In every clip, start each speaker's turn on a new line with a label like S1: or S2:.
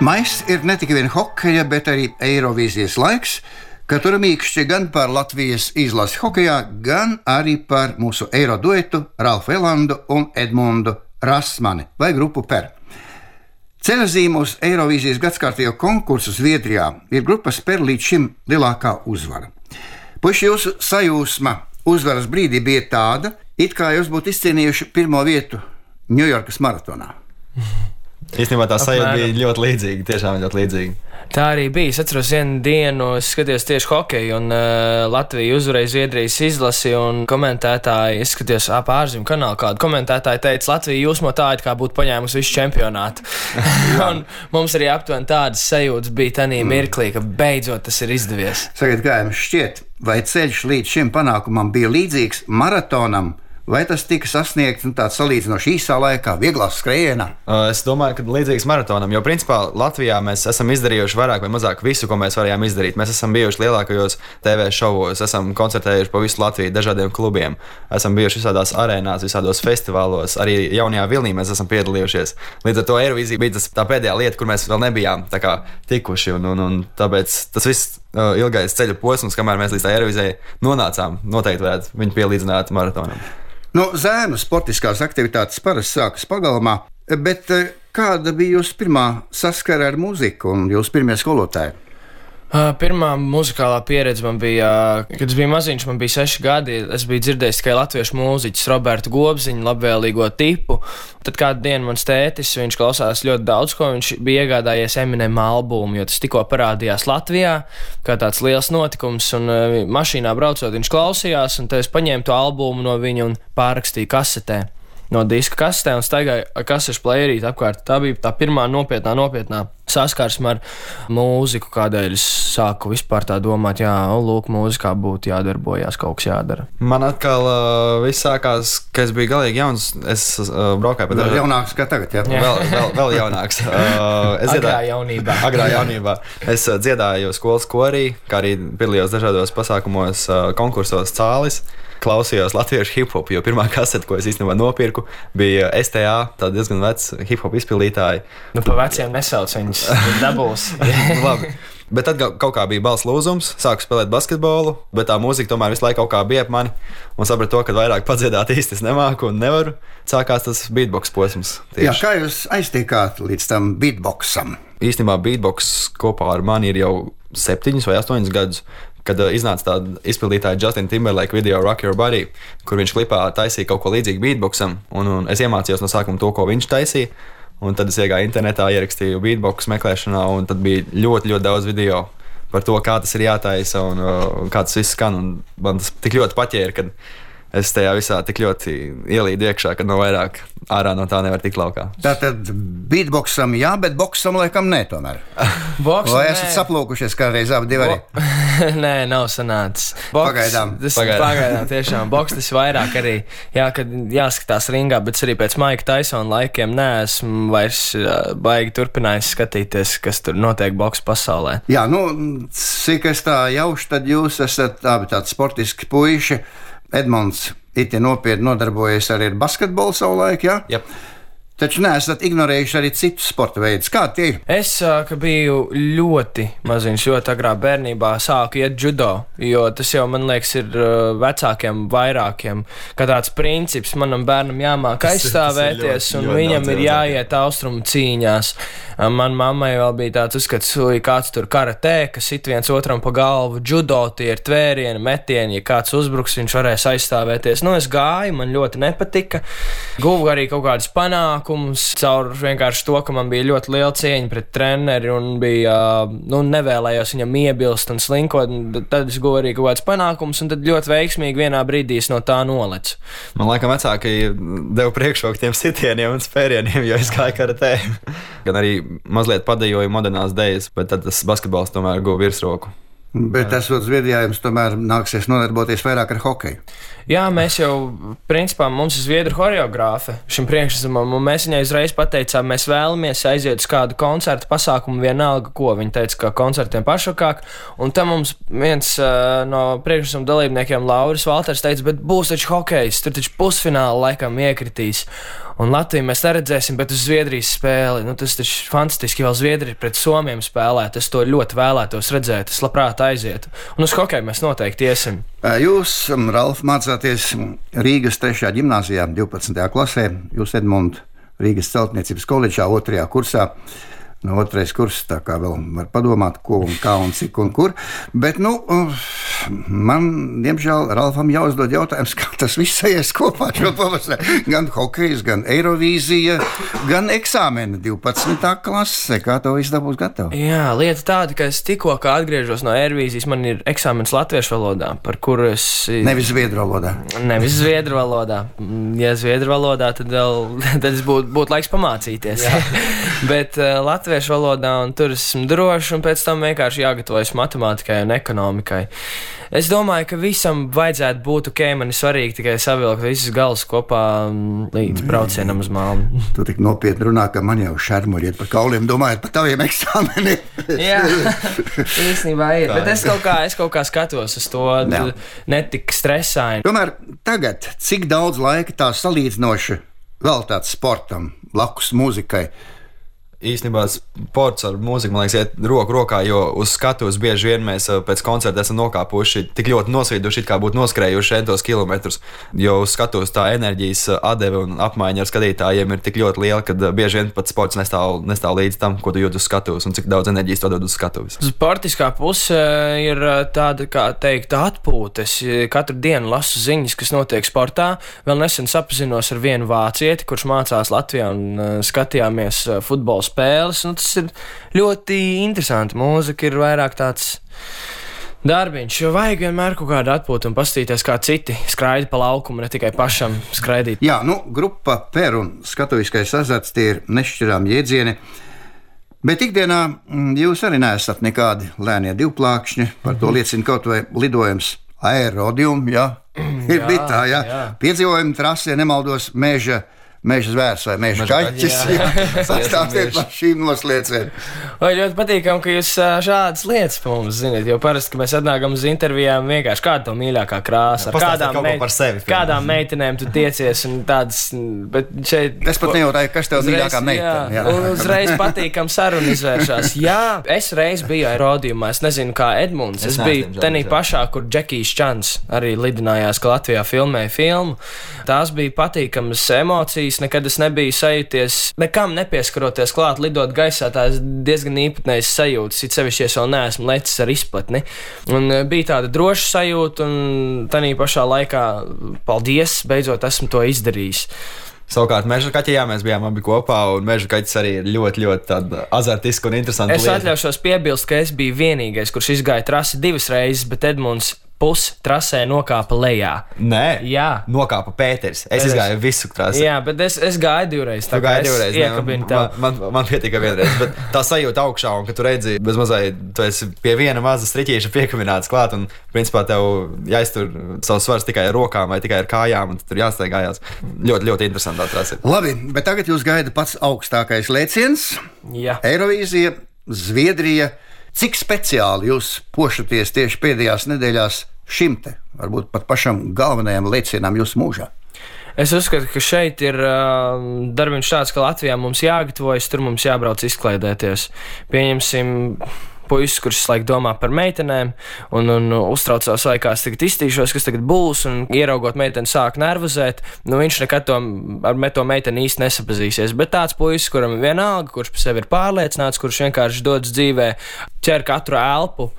S1: Maijs ir ne tikai hokeja, bet arī Eirovīzijas laiks, kad tur mīkšķi gan par Latvijas izlasi hokejā, gan arī par mūsu eiro duetu Ralfu Elandu un Edmundu Rasmani vai grupu PER. Ceļazīme uz Eirovīzijas gadskārtējo konkursu Zviedrijā ir grupas PER līdz šim lielākā uzvara. Puiši, jūsu sajūsma uzvaras brīdī bija tāda, it kā jūs būtu izcīnījuši pirmo vietu Ņujorkas maratonā.
S2: Īstenībā tā sajūta bija ļoti līdzīga, tiešām ļoti līdzīga.
S3: Tā arī bija. Es atceros vienu dienu, es skatījos tieši hokeju, un Latvija uzvarēja Zviedrijas izlasi, un komentētāji, es skatījos ārzemju kanālu kādu, komentētāji teica, Latvija jūsmotāji kā būtu paņēmusi visu čempionātu. Un mums arī aptuveni tādas sajūtas bija tanī mirklī, ka beidzot tas ir izdevies.
S1: Sakiet, kā jums šķiet, vai ceļš līdz šim panākumam bija līdzīgs maratonam, vai tas tika sasniegts tāds salīdzinoši īsā laikā, vieglā skrējienā?
S2: Es domāju, ka līdzīgs maratonam, jo principā Latvijā mēs esam izdarījuši vairāk vai mazāk visu, ko mēs varējām izdarīt. Mēs esam bijuši lielākajos TV šovos, esam koncertējuši pa visu Latviju dažādiem klubiem, esam bijuši visādās arēnās, visādos festivālos, arī jaunajā vilnī mēs esam piedalījušies. Līdz ar to Eirovīzija bija tā pēdējā lieta, kur mēs vēl nebijām tikuši, un tāpēc tas viss ilgais ceļa posms, kamēr mēs līdz tā Eirovīzijai nonācām, noteikti varētu viņu pielīdzināt maratonam.
S1: Zēnu sportiskās aktivitātes parasti sākas pagalmā, bet kāda bija jūsu pirmā saskara ar mūziku un jūsu pirmie skolotāji?
S3: Pirmā muzikālā pieredze man bija, kad es biju maziņš, man bija 6 gadi. Es biju dzirdējis tikai latviešu mūziķus, Robertu Gobziņu, labvēlīgo tipu. Tad kādu dienu mans tētis, viņš klausās ļoti daudz, ko viņš bija iegādājies Eminem albumu, jo tas tikko parādījās Latvijā, kā tāds liels notikums, un mašīnā braucot viņš klausījās, un tad es paņēmu to albumu no viņa un pārrakstīju kasetē. No diska kasetē un staigāju ar kasešu playerīti apkārt. Tā bija tā pirmā nopietnā saskarsme ar mūziku, kādēļ es sāku vispār tā domāt, lūk, mūzikā būtu jādarbojās, kaut kas jādara.
S2: Man atkal viss sākās, ka es biju galīgi jauns. Es braukāju pa
S1: vēl jaunāks kā tagad, jā?
S2: Vēl jaunāks. Agrā jaunībā. Es dziedāju skolas korī, kā arī piedalījos dažādos pasākumos, konkursos Cālis. Klausījos latviešu hip-hop, jo pirmā kasete, ko es īstenībā nopirku, bija STA, tā diezgan vecs hip-hop izpildītāji.
S3: Pa veciem nesauc viņus, dabūs.
S2: Labi. Bet tad kaut kā bija balss lūzums, sāku spēlēt basketbolu, bet tā mūzika tomēr visu laiku kaut kā bija ap mani, un sapratu to, ka vairāk padziedāt īsti es nemāku un nevaru. Sākās tas beatbox posms. Tieši.
S1: Jā, kā jūs aiztiekāt līdz tam beatboxam?
S2: Īstenībā beatbox kopā ar mani ir jau 7 vai 8 gadus. Kad iznāca tāda izpildītāja Justin Timberlake video Rock Your Body, kur viņš klipā taisīja kaut ko līdzīgu beatboxam, un es iemācījos no sākuma to, ko viņš taisīja, un tad es iegāju internetā, ierakstīju beatbox meklēšanā, un tad bija ļoti, ļoti daudz video par to, kā tas ir jātaisa un kā tas viss skan, un man tas tik ļoti paķēra, kad es tajā visā tik ļoti ielīdu iekšā, ka no vairāk ārā no tā nevar tikt laukā.
S1: Tātad beatboxam jā, bet boxam laikam nē tomēr. Vai esat saplūkušies kādreiz abi divi arī?
S3: Nē, nav sanācis.
S1: Pagaidām.
S3: Pagaidām tiešām. Boks tas vairāk arī, kad jāskatās ringā, bet arī pēc Maika Taisona laikiem neesmu vairs baigi turpinājis skatīties, kas tur notiek boks pasaulē.
S1: Jā, cik es tā jaušu, tad jūs esat tādi sportiski puiši. Edmunds itin nopietni nodarbojas arī ar basketbolu savulaik, jā?
S2: Yep.
S1: Taču neesat ignorējuši arī citus sporta veidus. Kā tie ir?
S3: Es, kad biju ļoti maziņš, ļoti agrā bērnībā, sāku iet judo, jo tas jau, man liekas, ir vecākiem vairākiem, kā tāds princips, manam bērnam jāmāk aizstāvēties, un viņam ir jāiet austrumu cīņās. Man mammai vēl bija tāds uzskats, kāds tur karatē, kas sit viens otram pa galvu, judo, tie ir tvērieni, metieni, ja kāds uzbruks, viņš varēs aizstāvēties. Es gāju, man ļoti nepatika, guvu arī kaut kādus panākumus, caur vienkārši to, ka man bija ļoti liela cieņa pret treneri un bija, nevēlējos viņam iebilst un slinkot, tad es guvu arī kaut kādus panākumus, un tad ļoti veiksmīgi vienā brīdī es no tā nolecu.
S2: Man laikam vecāki deva priekšroku tiem sitieniem un spērieniem, jo es gāju karatē. Gan arī mazliet padejoju modernās dejas, bet tad tas basketbols tomēr guva virsroku.
S1: Bet esot Zviedrijā, jums tomēr nāksies nodarboties vairāk ar hokeju.
S3: Jā, mēs jau, principā, mums ir zviedru choreogrāfe šim priekšnesumam, un mēs viņai uzreiz pateicām, mēs vēlamies aiziet uz kādu koncertu pasākumu vienalga, ko. Viņa teica, ka koncertiem pašvakāk, un tam mums viens no priekšnesuma dalībniekiem, Lauris Valters, teica, bet būs taču hokejs, tur taču pusfināla laikam iekritīs. Un Latviju mēs neredzēsim, bet uz Zviedrijas spēli. Nu, tas taču fantastiski, vēl Zviedrija pret Somiem spēlēt. Es to ļoti vēlētos redzēt, es labprāt aizietu. Un uz hokeju mēs noteikti iesim.
S1: Jūs, Ralf, mācāties Rīgas 3. ģimnāzijā, 12. klasē. Jūs, Edmund, Rīgas celtniecības koledžā, 2. kursā. No 2. kurs, tā kā vēl var padomāt, ko un kā un cik un kur. Bet, man, diemžēl, Ralfam jāuzdod jautājums, kā tas viss aizies kopā šo pavasari. Gan hokejs, gan Eirovīzija, gan eksāmeni 12. klase. Kā to viss dabūs gatavu?
S3: Jā, lieta tāda, ka es tikko atgriežos no Eirovīzijas, man ir eksāmenis latviešu valodā, par kuru es...
S1: Nevis zviedru valodā.
S3: Nevis zviedru valodā. Ja zviedru valodā, tad es būtu laiks pamācīties. Bet latviešu valodā, un tur esmu drošs, un pēc tam vienkārši jāgatavojas matemātikai un ekonomikai. Es domāju, ka visam vajadzētu būt ok, man ir svarīgi tikai savilkt visus galus kopā līdz braucienam uz Malmu.
S1: Tu tik nopietni runā, ka man jau šarmuļiet par kauliem, domājot par taviem eksāmeniem.
S3: Jā, īstenībā ir, bet es kaut kā skatos uz to, netik stresaini.
S1: Tomēr tagad, cik daudz laika tā salīdzinoši veltāts sportam, blakus mūzikai?
S2: Īstenībā sports ar mūziku, man liekas, iet roku rokā, jo uz skatuves bieži vien mēs pēc koncerta esam nokāpuši tik ļoti nosvīduši, kā būtu noskrējuši 100 kilometrus. Jo uz skatuves tā enerģijas atdeve un apmaiņa ar skatītājiem ir tik ļoti liela, ka bieži vien pat sports nestāv līdz tam, ko tu jūti uz skatuves un cik daudz enerģijas to dod uz skatuves.
S3: Sportiskā puse ir tāda, kā teikt, atpūta. Es katru dienu lasu ziņas, kas notiek sportā. Vēl nesen sapazinos ar vienu vācieti, kurš mācās Latvijā un skatījāmies futbola spēles. Tas ir ļoti interesanti. Mūzika ir vairāk tāds darbiņš, jo vajag vienmēr kaut kādu atpūtu un pastīties, kā citi skraida pa laukumu, ne tikai pašam skraidīt.
S1: Jā, grupa Per un skatuviskais azarts, tie ir nešķirām jēdzieni. Bet ikdienā jūs arī neesat nekādi lēnie divplākšņi, par to liecina kaut vai lidojums Aerodium, ir bitā, piedzīvojumi trasē, nemaldos, Meža zvērs vai meža kaķis. Sastāstiet par šīm nosliecēm.
S3: Vai ļoti patīkam, ka jūs šādas lietas pa mums zināt, jo parasti, ka mēs atnākam uz intervijām vienkārši kāda to mīļākā krāsa, ar kādām meitenēm tu tiecies un tādas, bet šeit...
S1: Es pat nejautāju, kas tev mīļākā meitene.
S3: Jā, uzreiz patīkam saruna izvēršās. Jā, es reiz biju Aerodiumā, es nezinu kā Edmunds, es biju tenī pašā, kur Džekijs Čans arī lidinājās, ka Latvijā filmēja filmu. Tās bija patīkamas emocijas. Nekad es nebiju sajūties, nekam nepieskaroties klāt, lidot gaisā, tās diezgan īpatnējas sajūtas, it sevišķi, es vēl neesmu lecis ar izplatni. Un bija tāda droša sajūta, un tanī pašā laikā, paldies, beidzot esmu to izdarījis.
S2: Savukārt, meža kaķijā mēs bijām abi kopā, un meža kaķis arī ir ļoti, ļoti tāda azartiska un interesanta lieta.
S3: Es atļaušos piebilst, ka es biju vienīgais, kurš izgāja trasi 2 reizes, bet Edmunds trasē nokāpa lejā.
S2: Nē,
S3: jā.
S2: Nokāpa Pēters. Es izgāju visu trasi.
S3: Jā, bet es gāju 2 reizes.
S2: Tu gāji 2 reizes. Man pietika 1 reize, bet tā sajūta augšā, un ka tu redzi, bez mazai, tu esi pie viena maza striķīša piekabināts klāt, un principā tev jāiztur savs svars tikai ar rokām vai tikai ar kājām, un tur jāsteigājās. Ļoti, ļoti interesantā trasi.
S1: Labi, bet tagad jūs gaida pats augstākais lēciens.
S3: Jā.
S1: Eirovīzija, Zviedrija. Cik speciāli jūs pošaties tieši pēdējās nedēļās šim te, varbūt pat pašam galvenajam lēcienam jūsu mūžā?
S3: Es uzskatu, ka šeit ir darbiņš tāds, ka Latvijā mums jāgatavojas, tur mums jābrauc izklaidēties. Pieņemsim puisis, kurš laik domā par meitenēm un uztraucās, vai kā es tagad iztīšos, kas tagad būs, un ieraugot meiteni sāk nervozēt, viņš nekad ar to meiteni īsti nesapazīsies. Bet tāds puisis, kuram ir vienalga, kurš par sevi ir pārliecināts, kurš vienkārši dodas dzīvē, ķer katru elpu,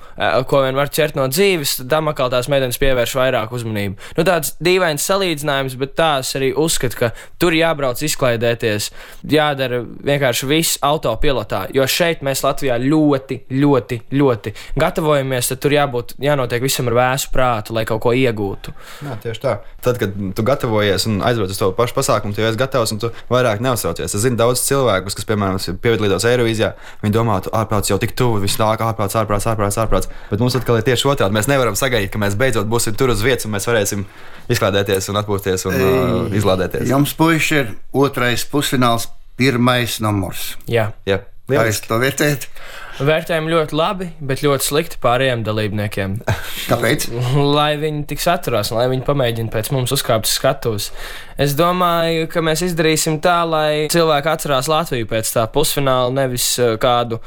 S3: ko vien var ķert no dzīves, tad tam atkal tās meitenes pievērš vairāk uzmanību. Tāds dīvains salīdzinājums, bet tā es arī uzskatu, ka tur jābrauc izklaidēties, jādara vienkārši viss autopilotā, jo šeit mēs Latvijā ļoti gatavojamies, tad tur jānotiek visam ar vēsu prātu, lai kaut ko iegūtu.
S2: Jā, tieši tā. Tad, kad tu gatavojies un aizbrauc uz to pašu pasākumu, tu esi gatavs un tu vairāk neuztraucies. Es zinu daudz cilvēkus, kas, piemēram, piedalījās Eirovīzijā, viņi domā, tu ārprāts jau tik tuvu, viss nāk ārprāts. Bet mums atkal ir tieši otrādi. Mēs nevaram sagaidīt, ka mēs beidzot būsim tur uz vietas un mēs varēsim izklaidēties un atpūsties un izlādēties.
S1: Jums, puiši, ir 2. pusfināls, 1. numurs.
S3: Jā.
S1: Kā jūs to vērtējat?
S3: Vērtējam ļoti labi, bet ļoti slikti pārējiem dalībniekiem.
S1: Kāpēc?
S3: Lai viņi tik saturās, lai viņi pamēģina pēc mums uzkāpt uz skatuves. Es domāju, ka mēs izdarīsim tā, lai cilvēki atcerās Latviju pēc tā pusfināla, nevis kādu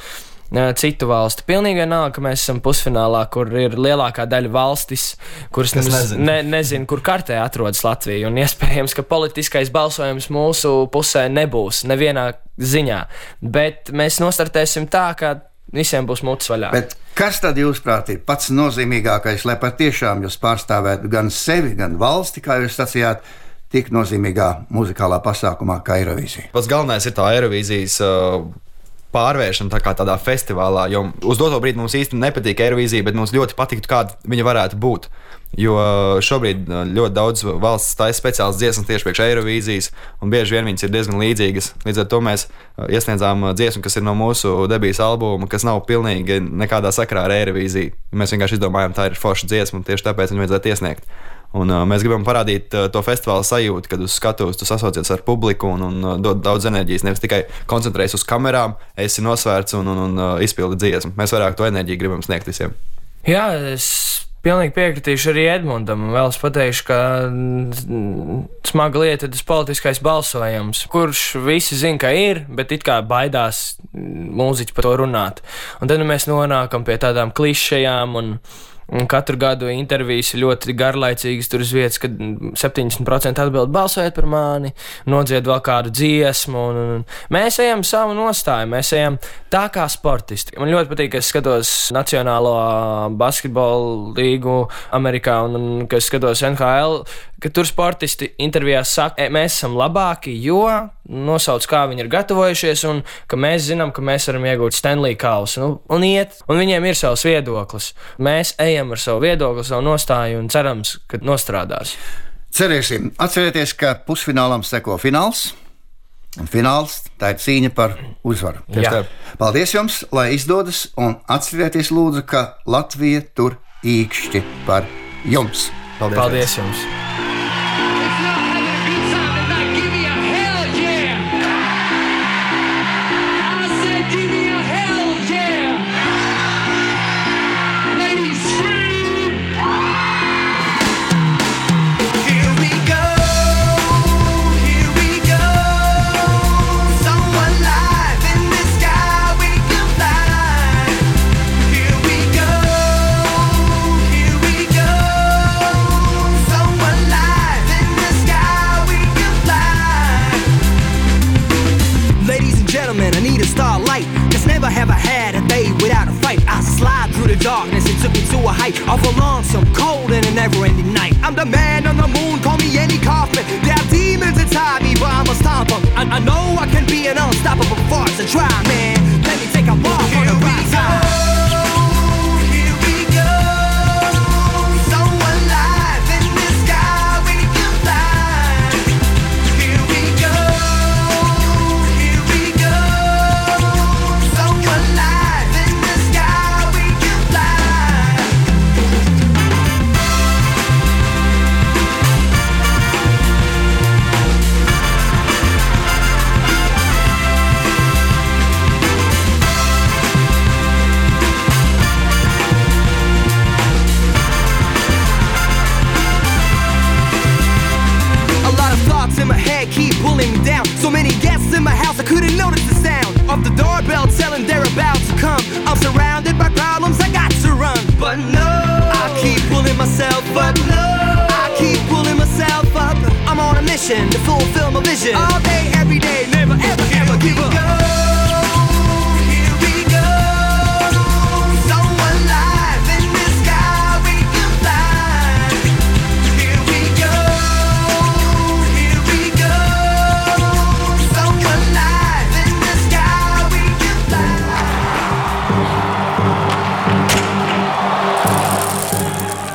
S3: citu valsti. Pilnīgi vienalga, ka mēs esam pusfinālā, kur ir lielākā daļa valstis, kuras nezinu, kur kartē atrodas Latvija. Un iespējams, ka politiskais balsojums mūsu pusē nebūs nevienā ziņā. Bet mēs nostartēsim tā, ka visiem būs mutes vaļā.
S1: Bet kas tad, jūsuprāt, ir pats nozīmīgākais, lai patiešām jūs pārstāvētu gan sevi, gan valsti, kā jūs sacījāt, tik nozīmīgā muzikālā pasākumā kā Eirovīzija?
S2: Pats galvenais ir tā Eirovīzijas pārvēršana tādā festivālā, jo uz doto brīdi mums īsti nepatīk Eirovīzija, bet mums ļoti patiktu, kāda viņa varētu būt. Jo šobrīd ļoti daudz valsts taisa speciālas dziesmas tieši priekš Eirovīzijas, un bieži vien viņas ir diezgan līdzīgas. Līdz ar to mēs iesniedzām dziesmu, kas ir no mūsu debijas albuma, kas nav pilnīgi nekādā sakrā ar Eirovīziju. Mēs vienkārši izdomājām, tā ir forša dziesma, un tieši tāpēc viņu vajadzētu iesniegt. Un mēs gribam parādīt to festivāla sajūtu, kad uz skatuves tu sasaucies ar publiku un dod daudz enerģijas. Nevis tikai koncentrēties uz kamerām, esi nosvērts un izpildi dziesmu. Mēs vairāk to enerģiju gribam sniegt visiem.
S3: Jā, es pilnīgi piekritīšu arī Edmundam. Vēl es pateikšu, ka smaga lieta ir tas politiskais balsojums, kurš visi zina, ka ir, bet it kā baidās mūziķi par to runāt. Un tad mēs nonākam pie tādām klišejām un katru gadu intervijas ir ļoti garlaicīgas. Tur uz vietas, kad 70% atbild balsojiet par mani, nodzied vēl kādu dziesmu. Un mēs ejam savu nostāju, mēs ejam tā kā sportisti. Man ļoti patīk, ka es skatos Nacionālo basketbolu līgu Amerikā un ka es skatos NHL, ka tur sportisti intervijās saka, mēs esam labāki, jo nosauc, kā viņi ir gatavojušies un ka mēs zinām, ka mēs varam iegūt Stanley kausu un iet. Un viņiem ir savs viedoklis. Mēs ejam ar savu viedokli, savu nostāju un cerams, ka nostrādās.
S1: Cerēsim. Atcerieties, ka pusfinālam seko fināls. Un fināls tā ir cīņa par uzvaru. Paldies jums, lai izdodas, un atcerieties lūdzu, ka Latvija tur īkšķi par jums.
S3: Paldies jums!
S4: Darkness, it took me to a height of a lonesome, cold and a never-ending night. I'm the man on the moon, call me Andy Kaufman. There are demons inside me, but I'm a stomper. I know I can be an unstoppable force. And try, man, let me take a walk on the right side. In my head keep pulling me down. So many guests in my house I couldn't notice the sound of the doorbell telling they're about to come. I'm surrounded by problems, I got to run. But no, I keep pulling myself up. I keep pulling myself up. I'm on a mission to fulfill my vision. All day, every day, never ever ever give up.